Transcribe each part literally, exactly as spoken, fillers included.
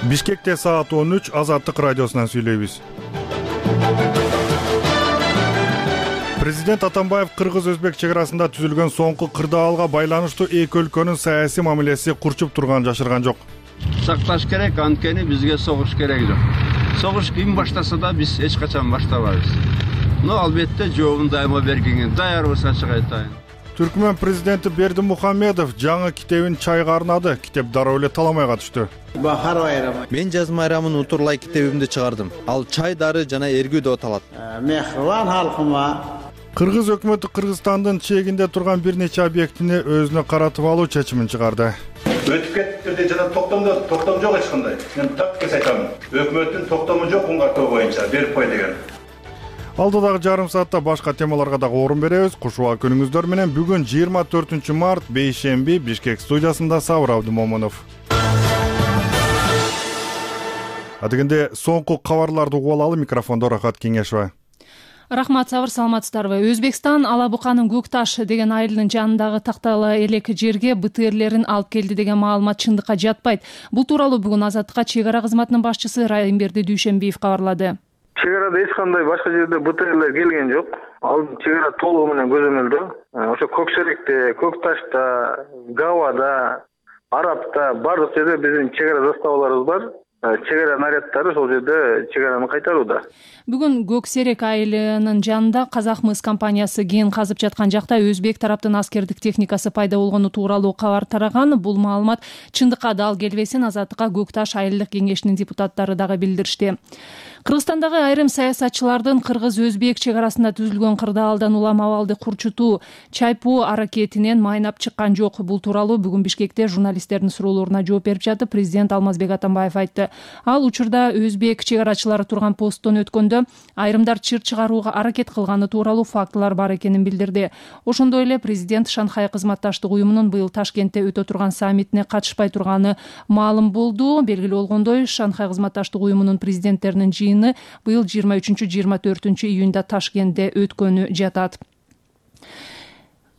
Бишкекте саат он үч, Азаттык радиосунан сүйлөйбүз. Президент Атамбаев кыргыз-өзбек чек арасында түзүлгөн соңку кырдаалга байланыштуу эки өлкөнүн саясий мамилеси курчуп турганын жашырган жок. Сакташ керек, анткени бизге согуш керек жок. Согуш ким баштаса да биз эч качан баштабайбыз. Но албетте жообун дайыма бергенге даярбыз, ачык айтайын. Түркмөн президенти Бердимухамедов жаңы китебин чайга арнады. Китеп дароо эле таламайга түштү. Мен жаз майрамын утурлай китебимди чыгардым. Ал чай дары жана эргүү деп аталат. Кыргыз өкмөтү Кыргызстандын чегинде турган бир нече объектини өзүнө каратып алуу чечимин чыгарды. Өтүп кетти жана токтомдо токтом жок эч кандай. Мен так кес айтам. Өкмөттүн токтому жок уңгартуу боюнча берип кой деген. Алдыдагы жарым саатта башка темаларга дагы орун беребиз. Кушуа күнүңүздөр менен бүгүн жыйырма төртүнчү март бейшемби Бишкек студиясында Сабыр Абдымомунов. Адегенде соңку кабарларды угуп алалы, микрофондо Рахат Кеңешова. Рахмат, Сабыр, саламатсыздарбы? Өзбекстан Алабуканын Көкташ деген айылынын жанындагы тактала элек жерге бэ тэ эрлерин алып келди деген маалымат чындыкка жатпайт. Бул тууралуу бүгүн Азаттыкка чек ара кызматынын башчысы Райымберди Дүйшөнбиев кабарлады. Чек арада эч кандай башка жерде бэ тэ эрлер келген жок. Ал чек ара толугу менен көзөмөлдөө. Ошо Көксеректе, Көкташта, Гавада, Арапта бардык жерде биздин чек ара заставаларыбыз бар. Чек ара наряддары ошол жерде чек араны кайтарууда. Бүгүн Көксерек айылынын жанында Казахмыс компаниясы кен казып жаткан жакта өзбек тараптын аскердик техникасы пайда болгону тууралуу кабар тараган. Бул маалымат чындыкка дал келбесин Азаттыкка Көкташ айылдык кеңешинин депутаттары дагы билдиришти. Кыргызстандагы айрым саясатчылардын кыргыз-өзбек чек арасында түзүлгөн кырдаалдан улам абалды курчутуу, чайпоо аракетинен майнап чыккан жок. Бул тууралуу бүгүн Бишкекте журналисттердин суроолоруна жооп берип жатып президент Алмазбек Атамбаев айтты. Ал учурда өзбек чек арачылары турган посттон өткөндө айрымдар чыр чыгарууга аракет кылганы тууралуу фактылар бар экенин билдирди. Ошондой эле президент Шанхай кызматташтык уюмунун быйыл Ташкентте өтө турган саммитине катышпай турганы маалым болду. Белгилүү болгондой, Шанхай кызматташтык уюмунун президенттеринин жыйыны быйыл жыйырма үчүнчү жыйырма төртүнчү июнда Ташкентте өткөнү жатат.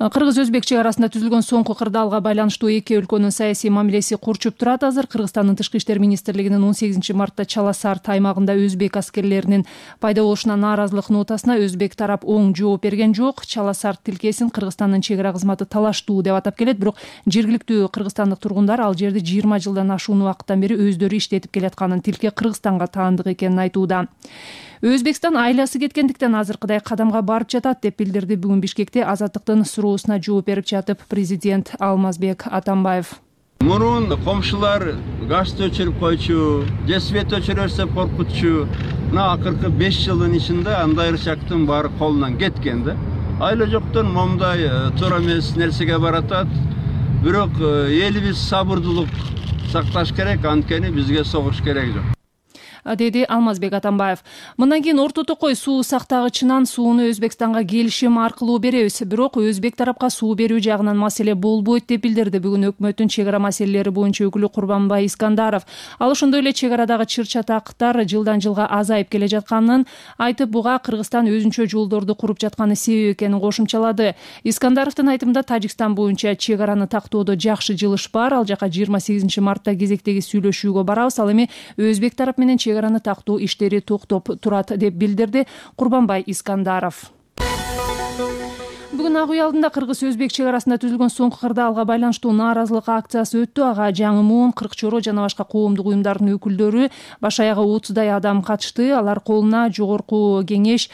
Кыргыз-өзбек чек арасында түзүлгөн соңку кырдаалга байланыштуу эки өлкөнүн саясий мамилеси курчуп турат. Азыр Кыргызстандын тышкы иштер министрлигинин он сегизинчи мартта Чаласарт аймагында өзбек аскерлеринин пайда болушуна нааразылык нотасына өзбек тарап оң жооп берген жок. Чаласарт тилкесин Кыргызстандын чек ара кызматы талаштуу деп атап келет, бирок жергиликтүү кыргызстандык тургундар ал жерди жыйырма жылдан ашуун убакыттан бери өздөрү иштетип келатканын, тилке Кыргызстанга таандык экенин айтууда. Өзбекстан айласы кеткендиктен азыркыдай кадамга барып жатат деп билдирди бүгүн Бишкекте Азаттыктын суроосуна жооп берип жатып президент Алмазбек Атамбаев. Мурун комшулар газды өчүрүп койчу, же свет өчүрө берсе коркутчу. Мына акыркы беш жылдын ичинде андай ырчактын баары колунан кеткен да. Айла жоктон момундай туура эмес нерсеге баратат. Бирок элибиз сабырдуулук сакташ керек, анткени бизге согуш керек жок, деди Алмазбек Атамбаев. Мындан кийин орто токой суу сактагычынан сууну Өзбекстанга келишим аркылуу беребиз. Бирок өзбек тарапка суу берүү жагынан маселе болбойт деп билдирди бүгүн өкмөттүн чек ара маселелери боюнча өкүлү Курбанбай Искандаров. Ал ошондой эле чек арадагы чыр-чатактар жылдан жылга азайып келе жатканын айтып, буга Кыргызстан өзүнчө жолдорду куруп жатканы себеп экенин кошумчалады. Искандаровдун айтымында Тажикстан боюнча чек араны тактоодо жакшы жылыш бар. Ал жака жыйырма сегизинчи мартта кезектеги сүйлөшүүгө барабыз. Ал эми өзбек тарап менен чек араны тактоо иштери токтоп турат деп билдирди Курбанбай Искандаров. Бүгүн Ак үй алдында кыргыз-өзбек чек арасында түзүлгөн соңку кырдаалга байланыштуу нааразылык акциясы өттү. Ага жаңы муун, кырк чоро жана башка коомдук уюмдардын өкүлдөрү баш аягы отуздай адам катышты. Алар колуна жогорку кеңеш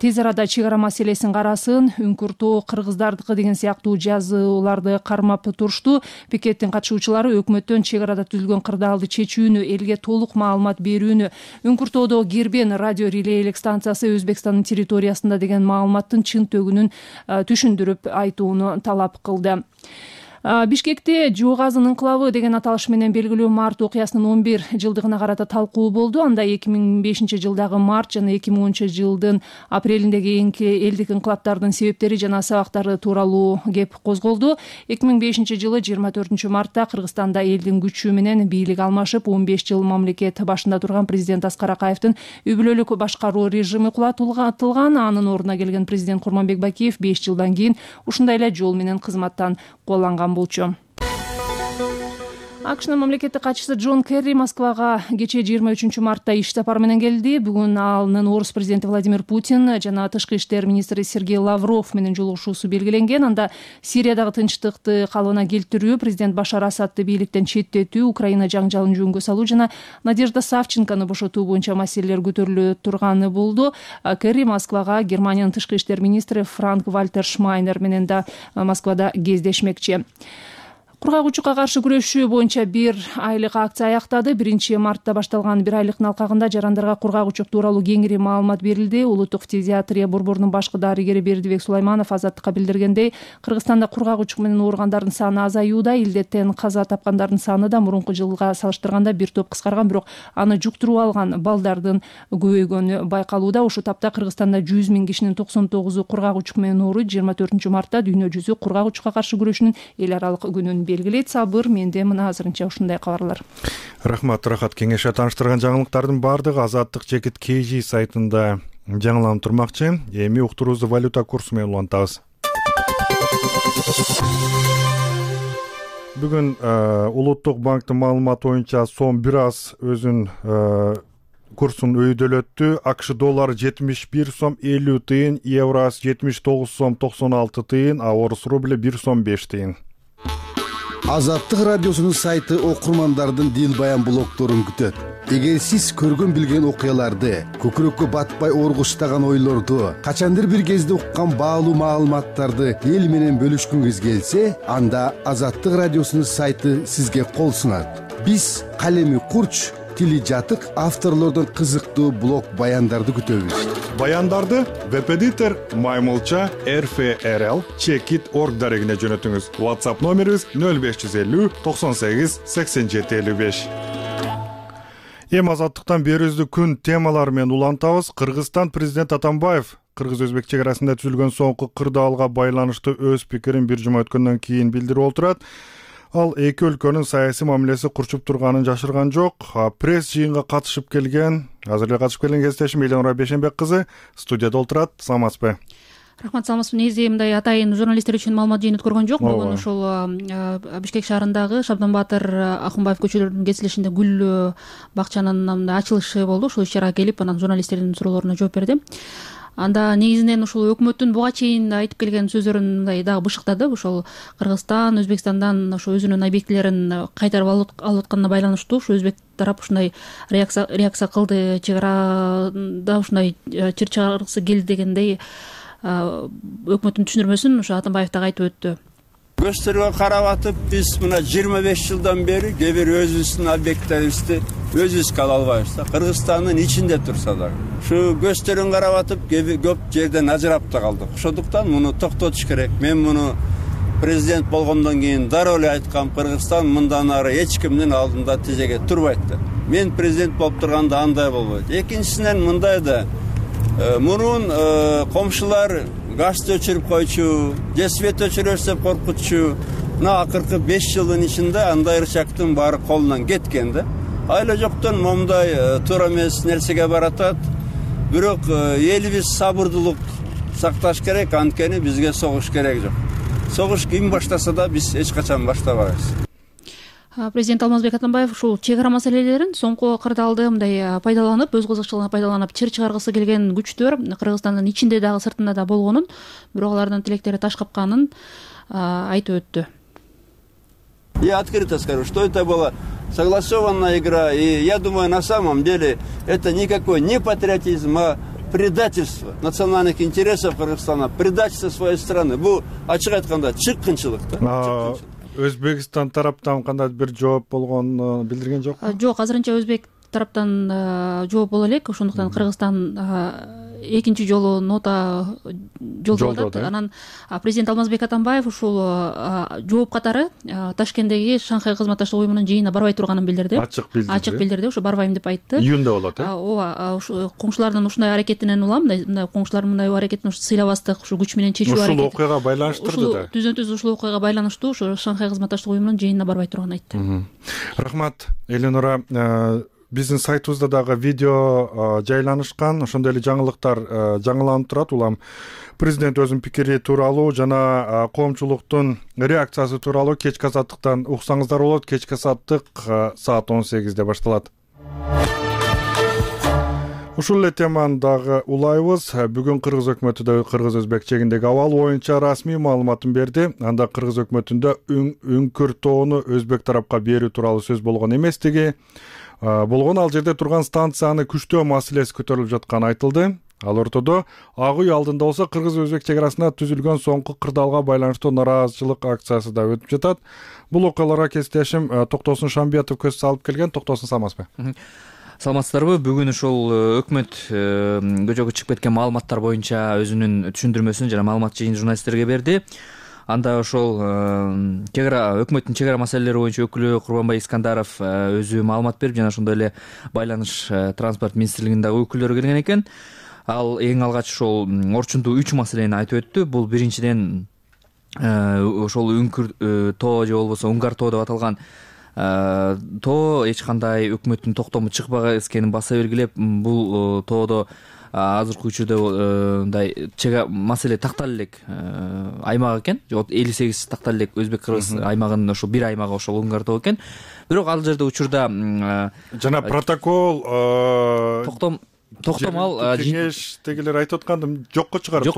тез арада чек ара маселесин карасын, үңкүртөө кыргыздардыкы деген сыяктуу жазууларды кармап турушту. Пикеттин катышуучулары өкмөттөн чек арада түзүлгөн кырдаалды чечүүнү, элге толук маалымат берүүнү, үңкүртөөдө Кирбен радио релейлик станциясы Өзбекстандын территориясында деген маалыматтын чын төгүнүн түшүндүрүп айтууну талап кылды. Бишкекте Жугазын инкылабы деген аталыш менен белгилүү март окуясынын он бир жылдыгына карата талкуу болду. Анда эки миң бешинчи жылдагы март жана эки миң онунчу жылдын апрелиндеги элдик инкылаптардын себептери жана сабактары тууралуу кеп козголду. эки миң бешинчи жылы жыйырма төртүнчү мартта Кыргызстанда элдин күчү менен бийлик алмашып, он беш жыл мамлекет башында турган президент Аскар Акаевдин үй бүлөлүк башкаруу режими кулатылган. Анын ордуна келген президент Курманбек Бакиев беш жылдан кийин ушундай эле жол менен кызматтан куаланган болчу. акшнын мамлекеттик катчысы Джон Керри Москвага кечээ жыйырма үчүнчү мартта иш сапары менен келди. Бүгүн анын орус президенти Владимир Путин жана тышкы иштер министри Сергей Лавров менен жолугушуусу белгиленген. Анда Сириядагы тынчтыкты калыбына келтирүү, президент Башар Асадты бийликтен четтетүү, Украина жаңжалын жөнгө салуу жана Надежда Савченкону бошотуу боюнча маселелер көтөрүлө турганы болду. Керри Москвага Германиянын тышкы иштер министри Франк Вальтер Шмайнер менен да Москвада кездешмекчи. Кургагучукка каршы күрөшүү боюнча бир айлык акция аяктады. биринчи мартта башталган бир айлыктын алкагында жарандарга кургагучук тууралуу кеңири маалымат берилди. Улуттук фтизиатрия борборунун башкы дарыгери Бердибек Сулайманов Азаттыкка билдиргендей, Кыргызстанда кургагучук менен ооругандардын саны азаюуда, илдеттен каза тапкандардын саны да мурунку жылга салыштырганда бир топ кыскарган, бирок аны жуктуруп алган балдардын көбөйгөнү байкалууда. Ушул тапта Кыргызстанда жүз миң кишинин токсон тогузу кургагучук менен ооруйт. жыйырма төртүнчү мартта дүйнө жүзү кургагучукка каршы күрөшүүнүн эл аралык күнүн белгилейт. Сабыр, менде мына азырынча ушундай кабарлар. Рахмат, Рахат. Кеңеште тааныштырган жаңылыктардын баардыгы Азаттык жекит кей жи сайтында жаңыланып турмакчы. Эми уктуруубузду валюта курсу менен улантабыз. Бүгүн Улуттук банктын маалыматы боюнча сом бир аз өзүн курсун өйдөлөттү. АКШ доллары жетимиш бир сом элүү тыйын, евросы жетимиш тогуз сом токсон алты тыйын, а орус рубли бир сом беш тыйын. Азаттык радиосунун сайты окурмандардын дил баян блогдорун күтөт. Эгер сиз көргөн билген окуяларды, көкүрөккө батпай оргуштаган ойлорду, качандыр бир кезде уккан баалуу маалыматтарды эл менен бөлүшкүңүз келсе, анда Азаттык радиосунун сайты сизге кол сунат. Биз калеми курч, тили жатык авторлордон кызыктуу блог баяндарды күтөбүз. Баяндарды веб-эдитор Маймылча эр эф эр эл чекит точка орг дарегине жөнөтүңүз. WhatsApp номерибиз нөл беш жүз элүү токсон сегиз сексен жети элүү беш. Эми Азаттыктан берүүбүздү күн темалары менен улантабыз. Кыргызстан президент Атамбаев кыргыз-өзбек чек арасында түзүлгөн соңку кырдаалга байланыштуу өз пикирин бир жума өткөндөн кийин билдирип отурат. Ал эки өлкөнүн саясий мамилеси курчуп турганын жашырган жок. Пресс жыйынга катышып келген, азыр эле катышып келген кесиптешим Элеонора Бешенбек кызы студияда отурат. Саламатсызбы? Рахмат, саламатсызбы. Негизи мындай атайын журналисттер үчүн маалымат жыйын өткөргөн жок. Бүгүн ушул Бишкек шаарындагы Шабдан Баатыр Акунбаев көчөлөрүнүн кесилишинде гүл бакчанын ачылышы болду. Ушул иш-чарага келип, анан журналисттердин суроолоруна жооп берди. Анда негизинен ушул өкмөттүн буга чейин айтып келген сөздөрүн мындай дагы бышыктады. Ушул Кыргызстан Өзбекстандан ошо өзүнүн объектилерин кайтарып алып атканына байланыштуу ушу өзбек тарап ушундай реакция реакция кылды, чек арада ушундай чыр чыгаргысы келди дегендей өкмөттүн түшүндүрмөсүн ошо Атамбаев дагы айтып өттү. Көстөргө карап атып, биз мына жыйырма беш жылдан бери кээ бир өзүбүздүн объекттерибизди өзүбүзгө ала албайбыз да. Кыргызстандын ичинде турса да. Ушу көстөрүн карап атып, көп жерден ажырап да калдык. Ошондуктан муну токтотуш керек. Мен муну президент болгондон кийин дароо эле айткам, Кыргызстан мындан ары эч кимдин алдында тизеге турбайт деп. Мен президент болуп турганда андай болбойт. Экинчисинен мындай да, мурун комшулар газды өчүрүп койчу, же свет өчүрөрсө коркутчу. Мына акыркы беш жылдын ичинде андай рычагтын баары колунан кеткен да. Айла жоктон момундай туура эмес нерсеге баратат. Бирок элибиз сабырдуулук сакташ керек, анткени бизге согуш керек жок. Согуш ким баштаса да биз эч качан баштабайбыз. Президент Алмазбек Атамбаев ушул чек ара маселелерин, соңку кырдаалды мындай пайдаланып, өз кызыкчылыгына пайдаланып чыр чыгаргысы келген күчтөр Кыргызстандын ичинде дагы сыртында да болгонун, бирок алардын тилектери таш капканын айтып өттү. Я открыто скажу, что это была согласованная игра, и я думаю, на самом деле это никакой не патриотизм, а предательство национальных интересов Кыргызстана, предательство своей страны. Бу ачык айтканда чыккынчылык да. Өзбекстан тараптан кандай бир жооп болгонун билдирген жокпу? Жок, азырынча өзбек тараптан жооп боло элек. Ошондуктан Кыргызстан экинчи жолу нота жолдоп атат. Анан президент Алмазбек Атамбаев ушул жооп катары Ташкенттеги Шанхай кызматташтык уюмунун жыйынына барбай турганын билдирди. Ачык билдирди. Ачык билдирди, ошо барбайм деп айтты. Июнда болот, э? Ооба, ушу коңшулардын ушундай аракетинен улам, мындай коңшулар мындай аракетин сыйлабастык, ушу күч менен чечүү аракети. Ушул окуяга байланыштырды да. Түзөн-түз ушул окуяга байланыштуу ошо Шанхай кызматташтык уюмунун жыйынына барбай турганын айтты. Рахмат, Эленора. биздин сайтыбызда дагы видео жайланышкан, ошондой эле жаңылыктар жаңыланып турат. Улам президент өзүнүн пикири тууралуу жана коомчулуктун реакциясы тууралуу кечки азаттыктан уксаңыздар болот. Кечки азаттык саат он сегизде башталат. Ушул эле теманы дагы улайбыз. Бүгүн кыргыз өкмөтү да кыргыз-өзбек чегиндеги абал боюнча расмий маалыматын берди. Анда кыргыз өкмөтүндө үңкүр тоону өзбек тарапка берүү тууралуу сөз болгон эместиги болгон, ал жерде турган станцияны күчтөө маселеси көтөрүлүп жатканы айтылды. Ал ортодо Ак үй алдында болсо кыргыз-өзбек чек арасында түзүлгөн соңку кырдаалга байланыштуу нааразычылык акциясы да өтүп жатат. Бул окуяларга кесиптешим Токтосун Шамбиятов көз салып келген. Токтосун, саламатсызбы? Саламатсыздарбы? Бүгүн ушул өкмөт көчөгө чыгып кеткен маалыматтар боюнча өзүнүн түшүндүрмөсүн жана маалымат жыйын журналисттерге берди. Анда ошол чек ара өкмөттүн чек ара маселелери боюнча өкүлү Курманбай Искандаров өзү маалымат берип, жана ошондой эле Байланыш транспорт министрлигиндеги өкүлдөрү келген экен. Ал эң алгач ошол орчундуу үч маселени айтып өттү. Бул биринчиден ошол үңкүр тоо же болбосо Унгар тоо деп аталган тоо эч кандай өкмөттүн токтому чыкпаган экенин баса белгилеп, бул тоодо азыркы учурда мындай маселе тактала элек аймак экен. элүү сегиз тактала элек өзбек-кыргыз аймагынын ошол бир аймагы ошол Унгар тоо экен. Бирок ал жерде учурда жана протокол токтом токтом ал кеңештегилер айтып атканды жокко чыгарды,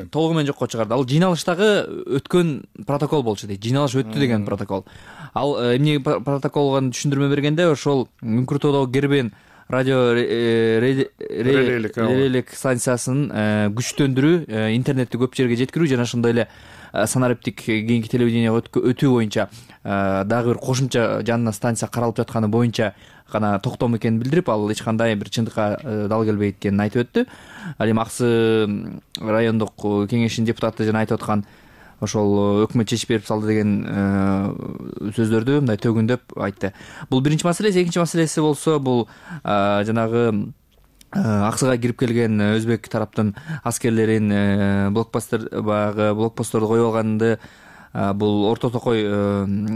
толугу менен жокко чыгарды. Ал жыйналыштагы өткөн протокол болчу дейт. Жыйналыш өттү деген протокол. Ал эмне протоколго түшүндүрмө бергенде, ошол Үңкүр тоодогу Кербен радио релейлик станциясынын күчтөндүрүү, интернетти көп жерге жеткирүү жана ошондой эле санариптик кийинки телевидениеге өтүү боюнча дагы бир кошумча жанына станция каралып жатканы боюнча гана токтом экенин билдирип, ал эч кандай бир чындыкка дал келбейт экенин айтып өттү. Ал эми Аксы райондук кеңешинин депутаты жана айтып аткан ошол өкмөт чечип берип салды деген сөздөрдү мындай төгүндөп айтты. Бул биринчи маселеси. Экинчи маселеси болсо, бул жанагы Аксыга кирип келген өзбек тараптын аскерлерин блокпосттор баягы блокпостторду коюп алганды бул Орто Токой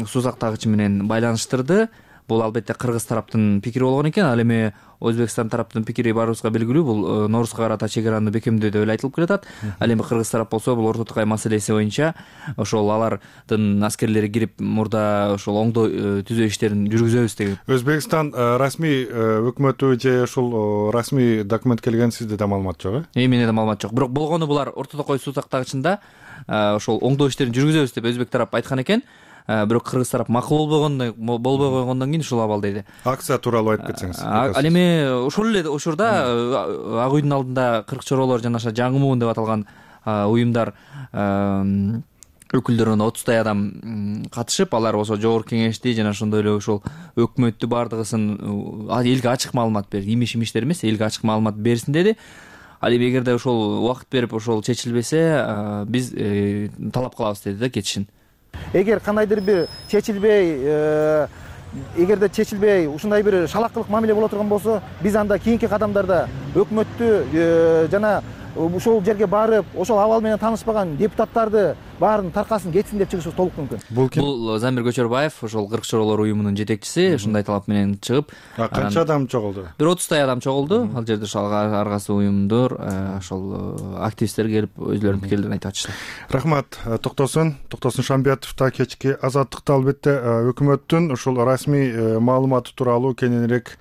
суу сактагычы менен байланыштырды. Бул албетте кыргыз тараптын пикири болгон экен. Ал эми Өзбекстан тараптын пикири баарыбызга белгилүү. Бул Норузга карата чек араны бекемдөө деп эле айтылып келатат. Ал эми кыргыз тарап болсо, бул Орто Токой маселеси боюнча ошол алардын аскерлери кирип мурда ошол оңдоо түзөө иштерин жүргүзөбүз деген. Өзбекстан расмий өкмөтү же ошол расмий документ келген, сизде да маалымат жок э? Менде да маалымат жок. Бирок болгону булар Орто Токой суу сактагычында ошол оңдоо иштерин жүргүзөбүз деп өзбек тарап айткан экен. Бирок кыргыз тарап макул болбогондон болбой койгондон кийин ушул абал дейди. Акция тууралуу айтып кетсеңиз. Ал эми ошол эле учурда Ак үйдүн алдында кырк чоролор жана жаңы муун деп аталган уюмдар өкүлдөрүнөн отуздай адам катышып, алар болсо жогорку кеңешти жана ошондой эле ошол өкмөттү баардыгысын элге ачык маалымат берди. Имиш-имиштер эмес, элге ачык маалымат берсин деди. Ал эми эгерде ошол убакыт берип ошол чечилбесе, биз талап кылабыз деди да кетишин. Эгер кандайдыр бир чечилбей, эгерде чечилбей ушундай бир шалакылык мамиле боло турган болсо, биз анда кийинки кадамдарда өкмөттү жана ошол жерге барып, ошол абал менен таанышпаган депутаттарды баарын таркасын кетсин деп чыгышыбыз толук мүмкүн. Бул ким? Бул Замир Көчөрбаев, ошол кырк чоролор уюмунун жетекчиси, ушундай талап менен чыгып. Канча адам чогулду? Бир отуздай адам чогулду. Ал жерде ошол ар кайсы уюмдор, ошол активисттер келип өзлөрүнүн пикирлерин айтып атышты. Рахмат. Токтосун, Токтосун Шамбиятов да кечки азаттыкта албетте өкмөттүн ушул расмий маалыматы тууралуу кененирээк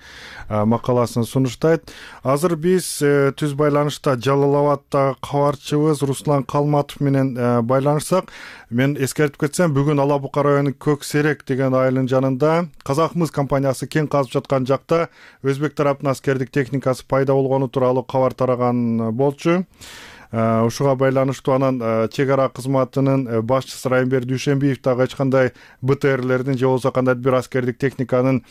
макаласын сунуштайт. Азыр биз түз байланышта Жалалабадта кабарчыбыз Руслан Калматов менен байланышсак, мен эскертип кетсем, бүгүн Ала Бука районунун Көк Серек деген айылынын жанында Казакмыс компаниясы кен казып жаткан жакта өзбек тараптын аскердик техникасы пайда болгону тууралуу кабар тараган болчу. Ушуга байланыштуу анан чек ара кызматынын башчысы Райымбер Дүйшөнбиев дагы эч кандай БТРлердин же болбосо кандайдыр бир аскердик техниканын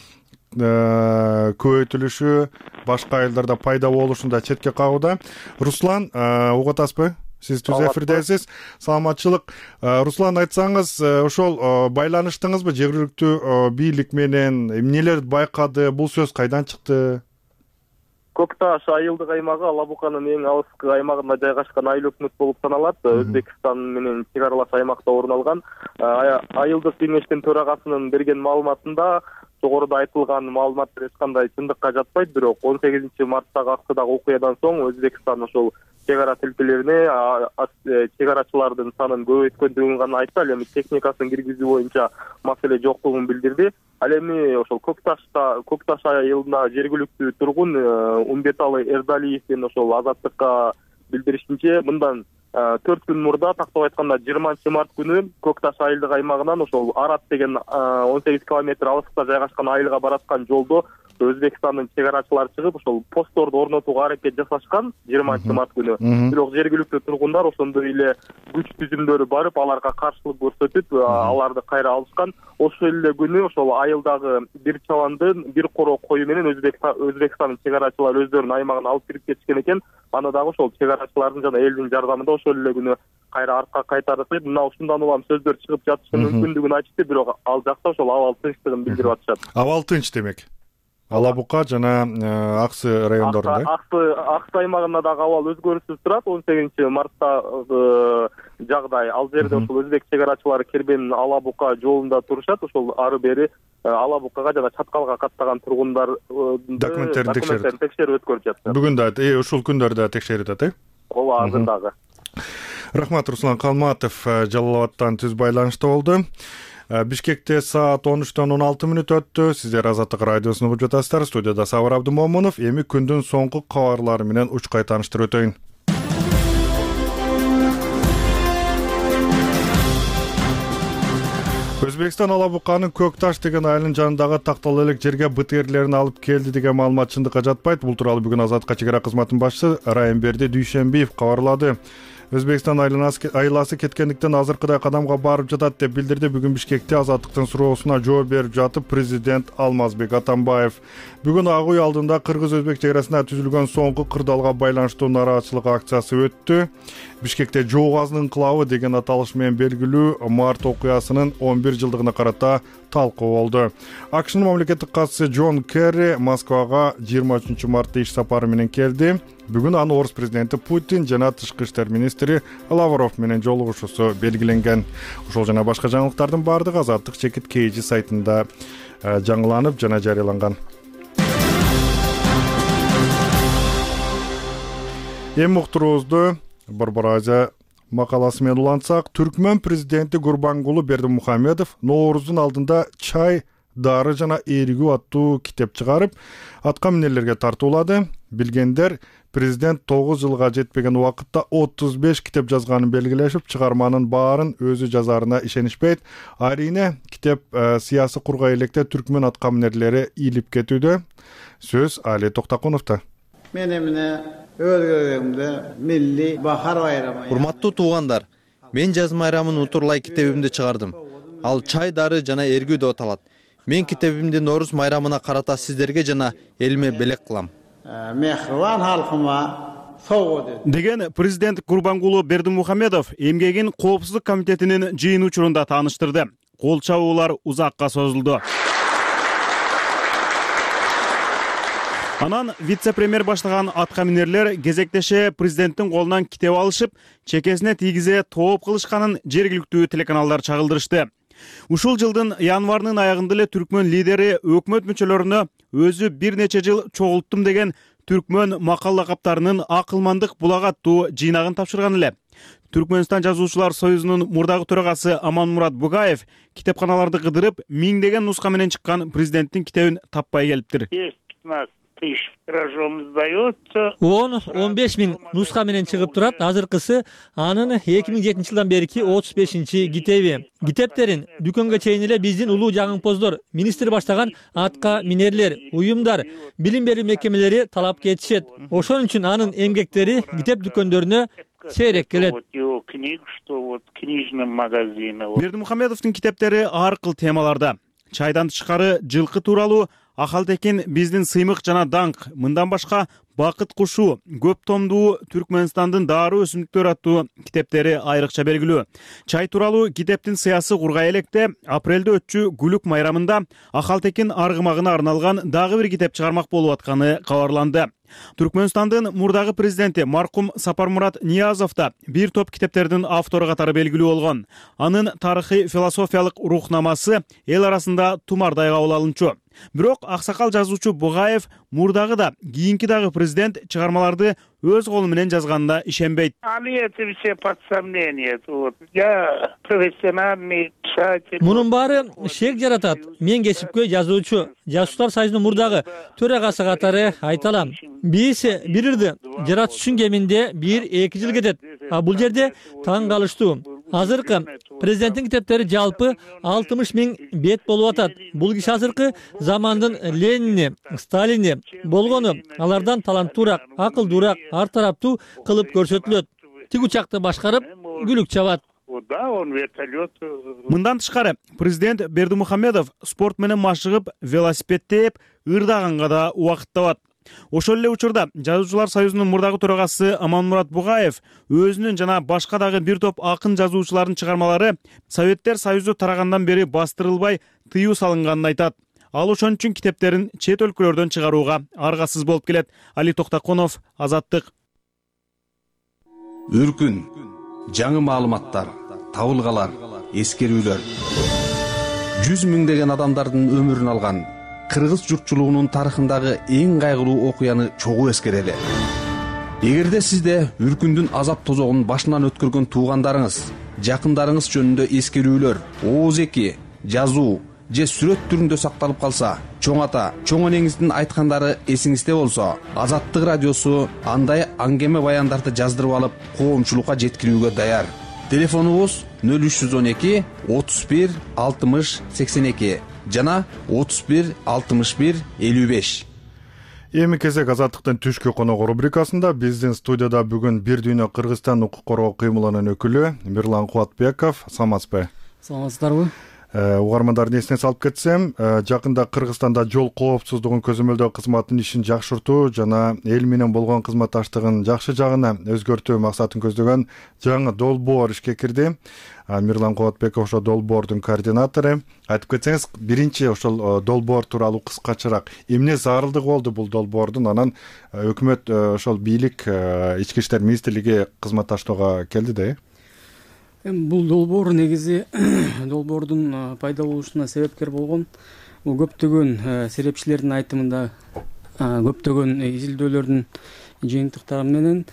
көбөйтүлүшү башка айылдарда пайда болушунда четке кагууда. Руслан, угуп атасызбы? Сиз түз эфирдесиз. Саламатчылык. Руслан, айтсаңыз, ошол байланыштыңызбы жергиликтүү бийлик менен? Эмнелерди байкады? Бул сөз кайдан чыкты? Көк Таш айылдык аймагы Ала Буканын эң алыскы аймагында жайгашкан айыл өкмөт болуп саналат. Өзбекстан менен чек аралаш аймакта орун алган. Айылдык кеңештин төрагасынын берген маалыматында жогоруда айтылган маалыматтар эч кандай чындыкка жатпайт. Бирок он сегизинчи марттагы Аксыдагы окуядан соң Өзбекстан ошол чек ара тилкелерине чек арачылардын санын көбөйткөндүгүн гана айтты. Ал эми техникасын киргизүү боюнча маселе жоктугун билдирди. Ал эми ошол Көк Ташта Көк Таш айылында жергиликтүү тургун Умбеталы Эрдалиевдин ошол Азаттыкка билдиришинче, мындан төрт күн мурда, тактап айтканда жыйырманчы март күнү Көк Таш айылдык аймагынан ошол Арат деген он сегиз километр алыскта жайгашкан айылга бараткан жолдо Өзбекстандын чек арачылары чыгып, ошол постторду орнотууга аракет жасашкан жыйырманчы март күнү. Бирок жергиликтүү тургундар ошондой эле күч түзүмдөрү барып, аларга каршылык көрсөтүп, аларды кайра алышкан. Ошол эле күнү ошол айылдагы бир чабандын бир коро кою менен Өзбекстандын чек арачылары өздөрүнүн аймагына алып кирип кетишкен экен. Аны дагы ошол чек арачылардын жана элдин жардамында ошол эле күнү кайра артка кайтарышып, мына ушундан улам сөздөр чыгып жатышы мүмкүндүгүн айтышты. Бирок ал жакта ошол абал тынчтыгын билдирип атышат. Абал тынч демек. Ала Бука жана Аксы райондорунда. Аксы Аксы аймагында дагы абал өзгөрүшсүз турат. он сегизинчи марттагы жагдай ал жерде ошол өзбек чек арачылары Кербенин Ала Бука жолунда турушат. Ошол ары бери Ала Букага жана Чаткалга каттаган тургундардын документтерин текшерип өткөрүп жатышат. Бүгүн да ушул күндөрдө текшерип атат, э? Ооба, азыр дагы. Рахмат, Руслан Калматов Жалал Абадтан түз байланышта болду. Бишкекте саат он үчтөн он алты мүнөт өттү. Сиздер Азаттык радиосун угуп жатасыздар. Студияда Сабыр Абдымомунов. Эми күндүн соңку кабарлары менен учкай тааныштырып өтөйүн. Өзбекстан Ала Буканын Көк Таш деген айылдын жанындагы тактал элек жерге БТРлерин алып келди деген маалымат чындыкка жатпайт. Бул тууралуу бүгүн Азаттыкка чек ара кызматынын башчысы Райымберди Дүйшенбиев кабарлады. Өзбекстан айласы кеткендиктен азыркыдай кадамга барып жатат деп билдирди. Бүгүн Бишкекте Азаттыктын суроосуна жооп берип жатып президент Алмазбек Атамбаев. Бүгүн Ак үй алдында кыргыз-өзбек чек арасында түзүлгөн соңку кырдаалга байланыштуу нараатчылык акциясы өттү. Бишкекте Жоо газынын инкылабы деген аталыш менен белгилүү март окуясынын он бир жылдыгына карата талкуу болду. АКШнын мамлекеттик катчысы Джон Керри Москвага жыйырма үчүнчү мартта иш сапары менен келди. Бүгүн аны орус президенти Путин жана тышкы иштер министри Лавров менен жолугушуусу белгиленген. Ошол жана башка жаңылыктардын баардыгы Азаттык чекит kg сайтында жаңыланып жана жарыяланган. Эми уктуруубузду Борбор Азия макаласы менен улантсак, Түркмөн президенти Гурбангулы Бердимухамедов Нооруздун алдында чай, дары жана эригүү аттуу китеп чыгарып, атка минерлерге тартуулады. Билгендер, президент тогуз жылга жетпеген убакытта отуз беш китеп жазганын белгилешип, чыгарманын баарын өзү жазарына ишенишпейт. Арине, китеп сыясий кургай электе түркмөн атка минерлери ийилип кетүүдө. Сөз Али Токтакуновдо. Мен эмне өзгөргөндө милли бахар байрамы. Урматтуу туугандар, мен жаз майрамын утурлай китебимди чыгардым. Ал чай, дары жана эргүү деп аталат. Мен китебимди Норус майрамына карата сиздерге жана элиме белек кылам. Мехрибан халкыма согуу деген президент Гурбангулы Бердимухамедов эмгегин коопсуздук комитетинин жыйын учурунда тааныштырды. Кол чабуулар узакка созулду. Анан вице-премьер баштаган атка минерлер кезектеше президенттин колунан китеп алышып, чекесине тийгизе тооп кылышканын жергиликтүү телеканалдар чагылдырышты. Ушул жылдын январынын аягында эле түркмөн лидери өкмөт мүчөлөрүнө өзү бир нече жыл чогулттум деген түркмөн макал лакаптарынын акылмандык булак аттуу жыйнагын тапшырган эле. Түркмөнстан жазуучулар союзунун мурдагы төрагасы Аманмурат Бугаев китепканаларды кыдырып, миңдеген нуска менен чыккан президенттин китебин таппай келиптир. он он беш миң нуска менен чыгып турат. Азыркысы анын эки миң жетинчи жылдан берки отуз бешинчи китеби. Китептерин дүкөнгө чейин эле биздин улуу жагымпоздор, министр баштаган атка минерлер, уюмдар, билим берүү мекемелери талап кетишет. Ошон үчүн анын эмгектери китеп дүкөндөрүнө сейрек келет. Бердимухамедовдун китептери ар кыл темаларда. Чайдан тышкары жылкы тууралуу, Ахалтекин биздин сыймык жана даңк, мындан башка Бакыт кушу, көп томдуу Түркмөнстандын дары өсүмдүктөр аттуу китептери айрыкча белгилүү. Чай тууралуу китептин сыясы кургай электе апрелде өтчү Гүлүк майрамында Ахалтекин аргымагына арналган дагы бир китеп чыгармак болуп атканы кабарланды. Түркмөнстандын мурдагы президенти маркум Сапармурат Ниязов да бир топ китептердин автору катары белгилүү болгон. Анын тарыхый философиялык рухнамасы эл арасында тумардай кабыл алынчу. Бирок аксакал жазуучу Бугаев мурдагы да кийинки дагы президент чыгармаларды өз колу менен жазганына ишенбейт. Мунун баары шек жаратат. Мен кесипкөй жазуучу Жазуучулар союзунун мурдагы төрагасы катары айта алам. Биз бир ырды жаратыш үчүн кеминде бир эки жыл кетет. А бул жерде таң калыштуу. Азыркы президенттин китептери жалпы алтымыш миң бет болуп атат. Бул киши азыркы замандын Ленини, Сталини болгону. Алардан таланттуураак, акылдуураак, ар тараптуу кылып көрсөтүлөт. Тиг учакты башкарып, күлүк чабат. Мындан тышкары президент Бердимухамедов спорт менен машыгып, велосипед тээп, ырдаганга да убакыт табат. Ошол эле учурда Жазуучулар союзунун мурдагы төрагасы Аманмурат Бугаев өзүнүн жана башка дагы бир топ акын жазуучулардын чыгармалары Советтер Союзу тарагандан бери бастырылбай тыюу салынганын айтат. Ал ошон үчүн китептерин чет өлкөлөрдөн чыгарууга аргасыз болуп келет. Али Токтоконов, Азаттык. Үркүн, жаңы маалыматтар, табылгалар, эскерүүлөр. Жүз миңдеген адамдардын өмүрүн алган кыргыз журтчулугунун тарыхындагы эң кайгылуу окуяны чогуу эскерели. Эгерде сизде үркүндүн азап тозогун башынан өткөргөн туугандарыңыз, жакындарыңыз жөнүндө эскерүүлөр, ооз эки, жазуу же сүрөт түрүндө сакталып калса, чоң ата, чоң энеңиздин айткандары эсиңизде болсо, Азаттык радиосу андай аңгеме баяндарды жаздырып алып, коомчулукка жеткирүүгө даяр. Телефонубуз нөл үч жүз он эки отуз бир алтымыш сексен эки жана отуз бир алтымыш бир элүү беш. Эми кезек Азаттыктын түшкү коногу рубрикасында биздин студияда бүгүн Бир дүйнө Кыргызстан укук коргоо кыймылынын өкүлү Мирлан Кубатбеков. Саламатсызбы? Саламатсыздарбы? Угармандардын эсине салып кетсем, жакында Кыргызстанда жол коопсуздугун көзөмөлдөө кызматынын ишин жакшыртуу жана эл менен болгон кызматташтыгын жакшы жагына өзгөртүү максатын көздөгөн жаңы долбоор ишке кирди. Мирлан Кубатбеков ошо долбоордун координатору. Айтып кетсеңиз, биринчи ошол долбоор тууралуу кыскачараак эмне зарылдыгы болду бул долбоордун, анан өкмөт ошол бийлик ички иштер министрлиги кызматташтоого келди да? Бул долбоор негизи долбоордун пайда болушуна себепкер болгон бул көптөгөн серепчилердин айтымында көптөгөн изилдөөлөрдүн жыйынтыктары менен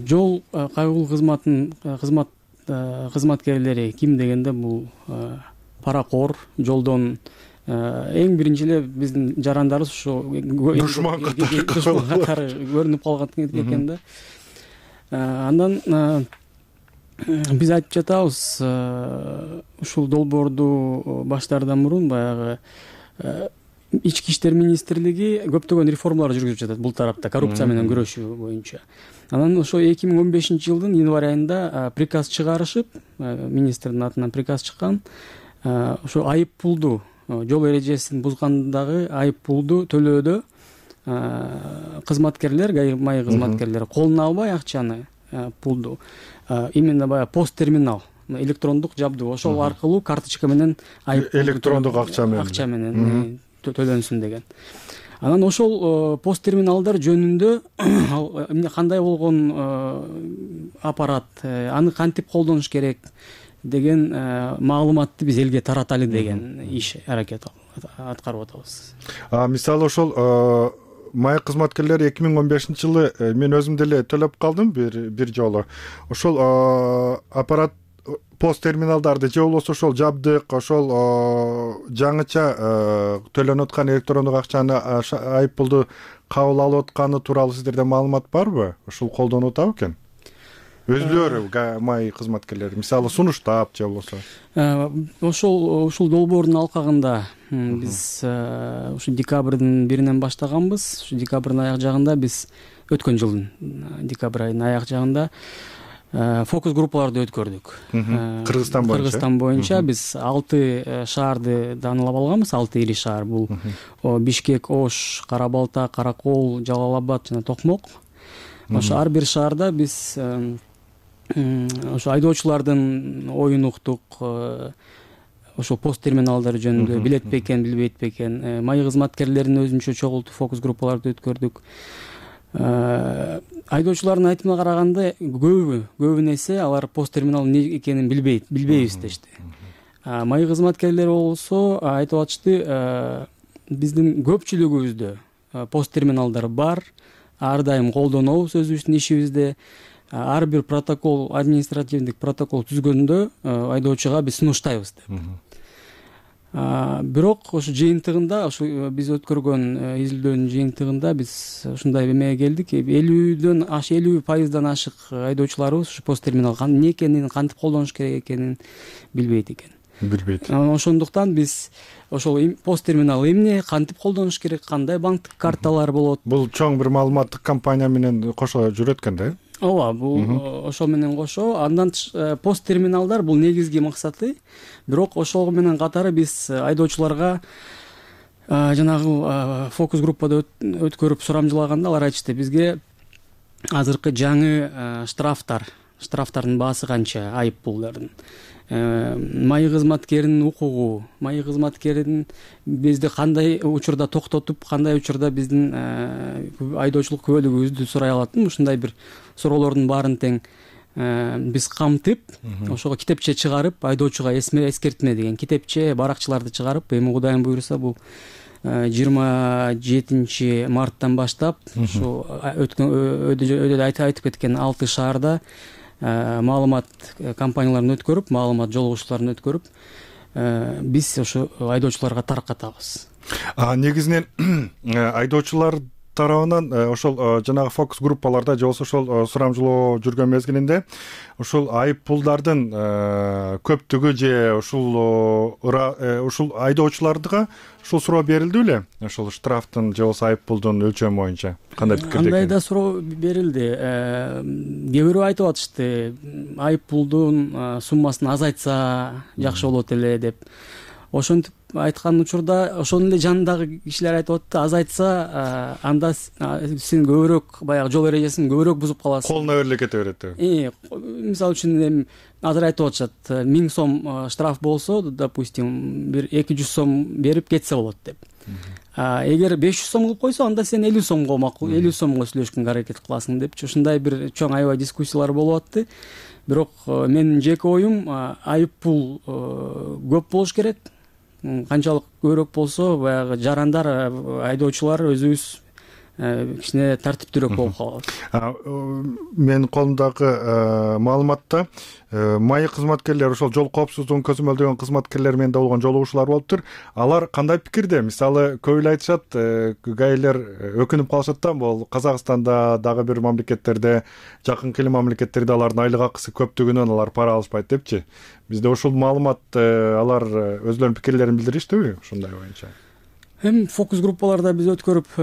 жол кайгылуу кызматын кызмат кызматкерлери ким дегенде бул паракор, жолдон эң биринчи эле биздин жарандарыбыз ушу душман катары көрүнүп калган экен да. Андан биз айтып жатабыз, ушул долбоорду баштаардан мурун баягы ички иштер министрлиги көптөгөн реформалар жүргүзүп жатат бул тарапта, коррупция менен күрөшүү боюнча. Анан ошо эки миң он бешинчи жылдын январь айында приказ чыгарышып, министрдин атынан приказ чыккан, ошо айып пулду, жол эрежесин бузгандагы айып пулду төлөөдө кызматкерлер, майы кызматкерлер колуна албай акчаны, пулду именно баягы пост терминал, электрондук жабдуу, ошол аркылуу карточка менен айып электрондук акча менен акча менен төлөнсүн деген. Анан ошол пост терминалдар жөнүндө эмне кандай болгон аппарат, аны кантип колдонуш керек деген маалыматты биз элге тараталы деген иш аракет аткарып атабыз. Мисалы ошол май кызматкерлери эки миң он бешинчи жылы мен өзүм деле төлөп калдым бир бир жолу. Ошол аппарат пост терминалдарды же болбосо ошол жабдык, ошол жаңыча төлөнүп аткан электрондук акчаны айып пулду кабыл алып атканы тууралуу сиздерде маалымат барбы? Ушул колдонуп атабы экен? Өзүлөрү май кызматкерлери, мисалы сунуштап же болбосо. Ошол ушул долбоордун алкагында биз ушу декабрдын биринен баштаганбыз. Ушу декабрдын аяк жагында биз өткөн жылдын декабрь айынын аяк жагында фокус группаларды өткөрдүк. Кыргызстан боюнча. Кыргызстан боюнча биз алты шаарды данылап алганбыз, алты ири шаар. Бул Бишкек, Ош, Кара Балта, Каракол, Жалал Абад жана Токмок. Ошо ар бир шаарда биз ошо айдоочулардын оюн уктук, ошо пост терминалдары жөнүндө билет бекен, билбейт бекен, май кызматкерлерин өзүнчө чогултуп фокус группаларды өткөрдүк. Айдоочулардын айтымына караганда көбү көбүн эсе алар пост терминал эмне экенин билбейт, билбейбиз дешти. Май кызматкерлери болсо айтып атышты, биздин көпчүлүгүбүздө пост терминалдар бар, ар дайым колдонобуз өзүбүздүн ишибизде. Ар бир протокол, административдик протокол түзгөндө айдоочуга биз сунуштайбыз деп. Бирок ошо жыйынтыгында, ошо биз өткөргөн изилдөөнүн жыйынтыгында биз ушундай эмеге келдик. элүүдөн аш элүү пайыздан ашык айдоочуларыбыз ушу пост терминал эмне экенин, кантип колдонуш керек экенин билбейт экен. Билбейт. Ошондуктан биз ошол пост терминал эмне, кантип колдонуш керек, кандай банктык карталар болот. Бул чоң бир маалыматтык компания менен кошо жүрөт экен да? Ооба, бул ошол менен кошо. Андан пост терминалдар бул негизги максаты. Бирок ошол менен катары биз айдоочуларга жанагы фокус группада өткөрүп сурамжылаганда алар айтышты, бизге азыркы жаңы штрафтар, штрафтардын баасы канча, айып пулдардын, маи кызматкеринин укугу, маи кызматкерин бизди кандай учурда токтотуп, кандай учурда биздин айдоочулук күбөлүгүбүздү сурай алат. Ушундай бир суроолордун баарын тең биз камтып, ошого китепче чыгарып, айдоочуга эскертме деген китепче, баракчаларды чыгарып, эми Кудайым буйруса бул жыйырма жетинчи марттан баштап ушу өткөн өйдө айтып кеткен алты шаарда маалымат компанияларын өткөрүп, маалымат жолугушууларын өткөрүп, биз ошо айдоочуларга таркатабыз. Негизинен айдоочулар тарабынан ошол жанагы фокус группаларда же болбосо ошол сурамжылоо жүргөн мезгилинде ушул айып пулдардын көптүгү же ушул ушул айдоочуларга ушул суроо берилди беле? Ошол штрафтын же болбосо айып пулдун өлчөмү боюнча кандай пикирде? Андай да суроо берилди. Кээ бирөө айтып атышты, айып пулдун суммасын азайтса жакшы болот эле деп. Ошентип айткан учурда ошонун эле жанындагы кишилер айтып атты, азайтса анда сен көбүрөөк баягы жол эрежесин көбүрөөк бузуп каласың. Колуна бериле кете берет. Мисалы үчүн эми азыр айтып атышат, миң сом штраф болсо, допустим, бир эки жүз сом берип кетсе болот деп. Эгер беш жүз сом кылып койсо, анда сен элүү сомго макул, элүү сомго сүйлөшкөнгө аракет кыласың депчи. Ушундай бир чоң аябай дискуссиялар болуп атты. Бирок менин жеке оюм, айып пул көп болуш керек. Канчалык көбүрөөк болсо, баягы жарандар, айдоочулар өзүбүз кичине тартиптүүрөөк болуп калабыз. Менин колумдагы маалыматта маи кызматкерлер, ошол жол коопсуздугун көзөмөлдөгөн кызматкерлер менен да болгон жолугушуулар болуптур. Алар кандай пикирде? Мисалы, көп эле айтышат, гаилер өкүнүп калышат да, бул Казакстанда, дагы бир мамлекеттерде, жакынкы эле мамлекеттерде алардын айлык акысы көптүгүнөн алар пара алышпайт депчи. Бизде ушул маалымат алар өзлөрүнүн пикирлерин билдириштиби ушундай боюнча? Эми фокус группаларда биз өткөрүп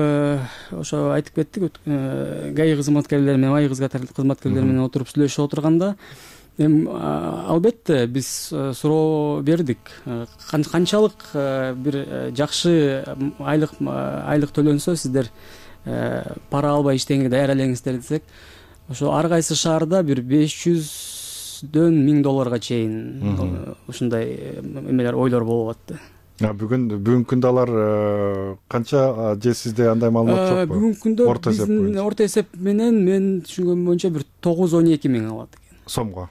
ошо айтып кеттик, гаи кызматкерлери менен, маи кызматкерлери менен отуруп сүйлөшүп отурганда, эми албетте биз суроо бердик. Канчалык бир жакшы айлык айлык төлөнсө сиздер пара албай иштегенге даяр элеңиздер десек, ошо ар кайсы шаарда бир беш жүздөн миң долларга чейин ушундай эмелер, ойлор болуп атты. Бүгүн бүгүнкү күндө алар канча, же сизде андай маалымат жокпу? Бүгүнкү күндө биздин орто эсеп менен мен түшүнгөнүм боюнча бир тогуз он эки миң алат экен. Сомго.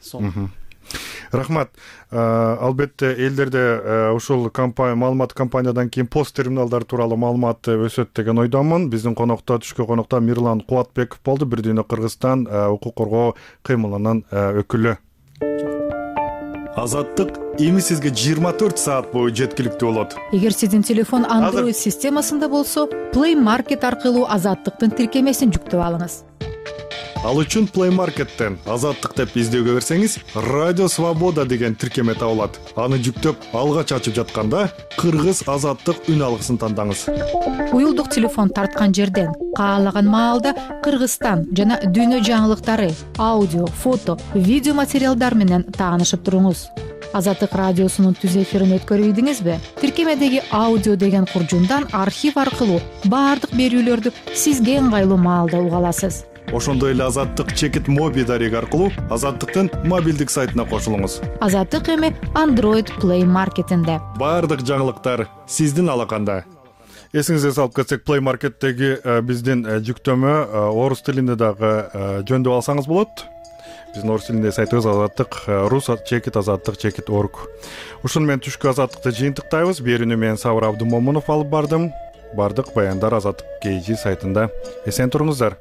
Рахмат. Албетте элдерде ушул компания, маалымат компаниядан кийин пост терминалдар тууралуу маалымат өсөт деген ойдомун. Биздин конокто түшкө конокто Мирлан Кубатбеков болду, Бир дүйнө Кыргызстан укук коргоо кыймылынын өкүлү. Азаттык эми сизге жыйырма төрт саат бою жеткиликтүү болот. Эгер сиздин телефон Android системасында болсо, Play Market аркылуу Азаттыктын тиркемесин жүктөп алыңыз. Ал үчүн Play Market'тен Азаттык деп издөөгө берсеңиз, Радио Свобода деген тиркеме табылат. Аны жүктөп, алгач ачып жатканда Кыргыз Азаттык үн алгысын тандаңыз. Уюлдук телефон тарткан жерден каалаган маалда Кыргызстан жана дүйнө жаңылыктары, аудио, фото, видео материалдар менен таанышып туруңуз. Азаттык радиосунун түз эфирин өткөрүп ийдиңизби? Тиркемедеги аудио деген куржундан архив аркылуу баардык берүүлөрдү сизге ыңгайлуу маалда уга аласыз. Ошондой эле Азаттык чекит моби дареги аркылуу Азаттыктын мобилдик сайтына кошулуңуз. Азаттык эми Android Play Market'инде. Баардык жаңылыктар сиздин алаканда. Эсиңизге салып кетсек, Play Market'теги биздин жүктөмө орус тилинде дагы жөндөп алсаңыз болот. Биздин орус тилинде сайтыбыз Азаттык рус чекит азаттык чекит орг. Ушуну менен түшкү Азаттыкты жыйынтыктайбыз. Берүүнү мен Сабыр Абдымомунов алып бардым. бардык баяндар азаттык kg сайтында. Эсен туруңуздар.